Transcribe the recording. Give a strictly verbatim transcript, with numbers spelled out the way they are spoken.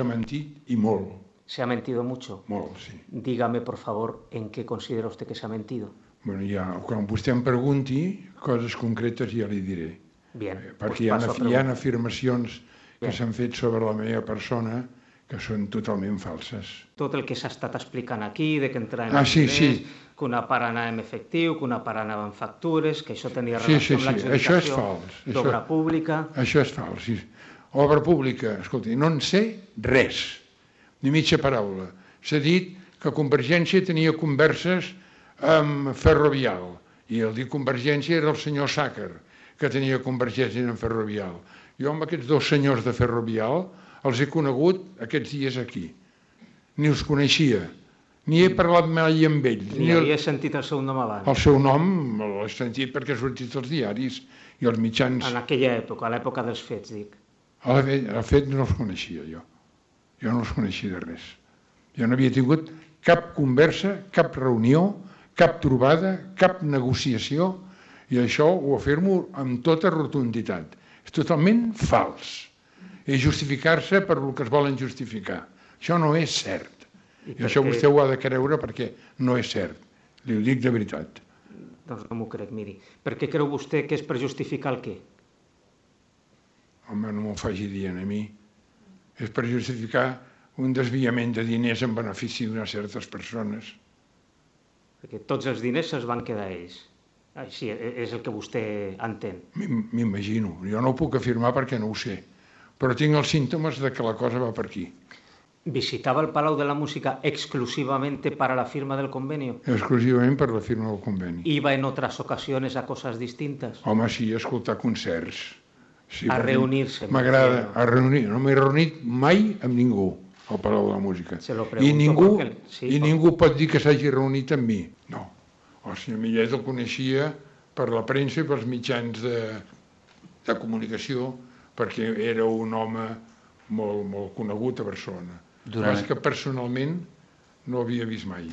S'ha mentit i molt. ¿Se ha mentido mucho? Molt, sí. Dígame, por favor, en qué considera usted que se ha mentido. Bueno, ja, quan vostè em pregunti coses concretes ja li diré. Bien, perquè pues hi ha, hi ha afirmacions que s'han fet sobre la meva persona que són totalment falses. Tot el que s'ha estat explicant aquí, de que entraven ah, sí, diners, sí. que una part anava en efectiu, que una part anava en factures, que això tenia Sí, relació sí, amb sí. Això és l'adjudicació fals. d'obra Això- pública. Això és fals, sí. Obra pública, escolti, no en sé res, ni mitja paraula. S'ha dit que Convergència tenia converses amb Ferrovial, i el dir Convergència era el senyor Sàcar, que tenia convergència amb Ferrovial. Jo amb aquests dos senyors de Ferrovial els he conegut aquests dies aquí. Ni els coneixia, ni he parlat mai amb ells. Ni el, havia sentit el seu nom abans. el seu nom l'he sentit perquè ha sortit als diaris i als mitjans. En aquella època, a l'època dels fets, dic. El fet, el fet no els coneixia jo. Jo no els coneixia de res. Jo no havia tingut cap conversa, cap reunió, cap trobada, cap negociació, i això ho afirmo amb tota rotunditat. És totalment fals. És justificar-se per el que es volen justificar. Això no és cert. I, I això vostè ho ha de creure perquè no és cert. Li ho dic de veritat. Doncs no m'ho crec, miri. Per què creu vostè que és per justificar el què? Home, no m'ho faci dir a mi. És per justificar un desviament de diners en benefici d'unes certes persones. Perquè tots els diners se'ls van quedar ells. Així és el que vostè entén. M'imagino. Jo no ho puc afirmar perquè no ho sé. Però tinc els símptomes de que la cosa va per aquí. ¿Visitaba el Palau de la Música exclusivamente para la firma del convenio? Exclusivament per la firma del conveni. ¿Iba en otras ocasiones a cosas distintas? Home, sí, a escoltar concerts. Sí, a reunir-se. M'agrada, a reunir. No m'he reunit mai amb ningú al Palau de la Música. Se lo I ningú, porque... sí, i ningú pot dir que s'hagi reunit amb mi. No. El senyor Millet el coneixia per la premsa i pels mitjans de, de comunicació, perquè era un home molt, molt conegut a Barcelona. Durant... És que personalment no havia vist mai.